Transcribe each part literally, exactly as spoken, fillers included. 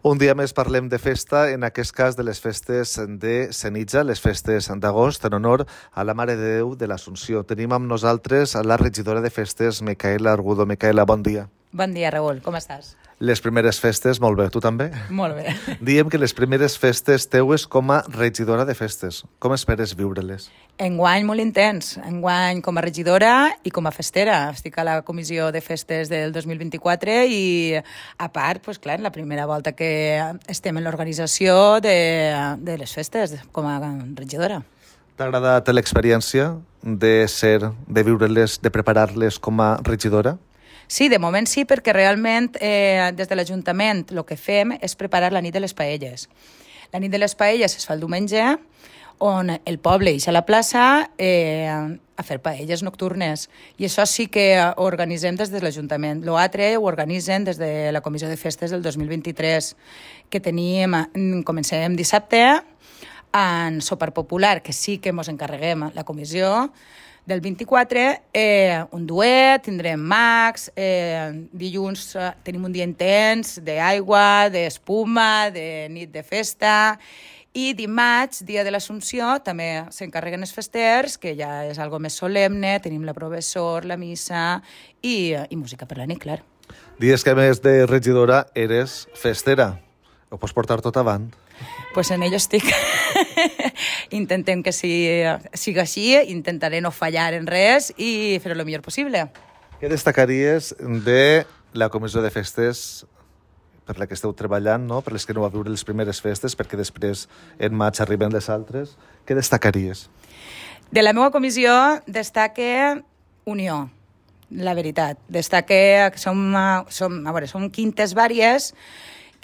Un dia més parlem de festa, en aquest cas de les festes de Senija, les festes d'agost, en honor a la Mare de Déu de l'Assumpció. Tenim amb nosaltres a la regidora de festes, Micaela Argudo. Micaela, bon dia. Bon dia, Raül. Com estàs? Les primeres festes, molt bé. Tu també? Molt bé. Diem que les primeres festes teues com a regidora de festes. Com esperes viure-les? Enguany molt intens. Enguany com a regidora i com a festera. Estic a la comissió de festes del dos mil vint-i-quatre i, a part, pues, clar, la primera volta que estem en l'organització de, de les festes com a regidora. T'ha agradat l'experiència de ser, de viure-les, de preparar-les com a regidora? Sí, de moment sí, perquè realment eh, des de l'Ajuntament el que fem és preparar la nit de les paelles. La nit de les paelles es fa el diumenge, on el poble ix a la plaça eh, a fer paelles nocturnes. I això sí que ho organitzem des de l'Ajuntament. L'altre ho organitzen des de la Comissió de Festes del dos mil vint-i-tres, que tenim, comencem dissabte, en sopar popular, que sí que ens encarreguem la comissió, del vint-i-quatre, eh, un duet, tindrem mags, eh, dilluns eh, tenim un dia intens d'aigua, d'espuma, de nit de festa, i dimarts, dia de l'Assumpció, també s'encarreguen els festers, que ja és algo més solemne, tenim la professor, la missa i, i música per la nit, clar. Dies que a més de regidora eres festera. Ho pots portar tot avant? Pues en ello estic. Intentem que sigui, sigui així, intentaré no fallar en res i fer-ho el millor possible. Què destacaries de la comissió de festes per la que esteu treballant, no? Per les que no va viure les primeres festes, perquè després en maig arriben les altres? Què destacaries? De la meva comissió destaca unió, la veritat. Destaca que som, som, a veure, som quintes vàries,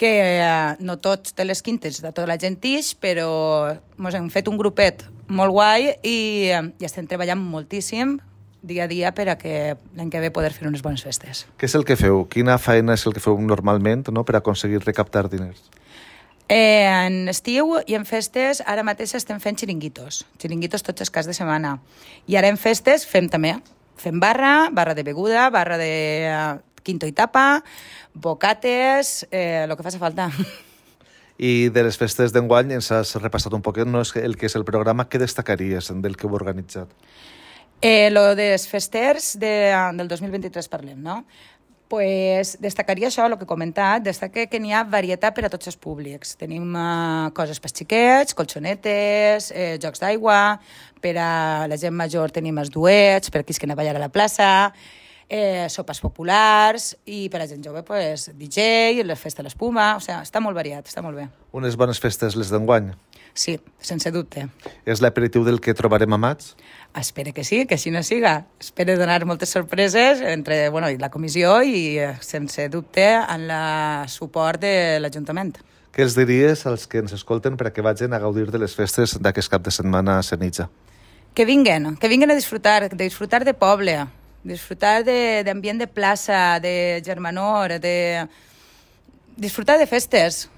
que eh, no tots de les quintes de tota la gent ix, però ens hem fet un grupet molt guai i, i estem treballant moltíssim dia a dia per a que l'any que ve poder fer unes bones festes. Què és el que feu? Quina feina és el que feu normalment, no?, per aconseguir recaptar diners? Eh, en estiu i en festes ara mateix estem fent xiringuitos, xiringuitos tots els caps de setmana. I ara en festes fem també, fem barra, barra de beguda, barra de uh, quinto i tapa, bocates, eh, el que faci falta. I de les festes d'enguany ens has repassat un poquet, no és el que és el programa, què destacaries del que heu organitzat? Eh, lo dels festers de, del dos mil vint-i-tres parlem, no? Pues destacaria això, el que he comentat, destaca que n'hi ha varietat per a tots els públics. Tenim uh, coses per xiquets, colxonetes, eh, jocs d'aigua, per a la gent major tenim els duets, per a qui es queden a ballar a la plaça, eh, sopes populars, i per a gent jove, pues, D J, la festa de l'espuma, o sigui, està molt variat, està molt bé. Unes bones festes les d'enguany? Sí, sense dubte. És l'aperitiu del que trobarem a maig? Espero que sí, que així no siga. Espero donar moltes sorpreses entre bueno, la comissió i, sense dubte, en el suport de l'Ajuntament. Què els diries als que ens escolten per a que vagin a gaudir de les festes d'aquest cap de setmana a Senija? Que vinguen, que vinguen a disfrutar, de disfrutar de poble, disfrutar d'ambient de, de plaça, de germanor, de disfrutar de festes.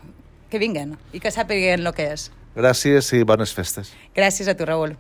Que vinguen i que sàpiguen el que és. Gràcies i bones festes. Gràcies a tu, Raül.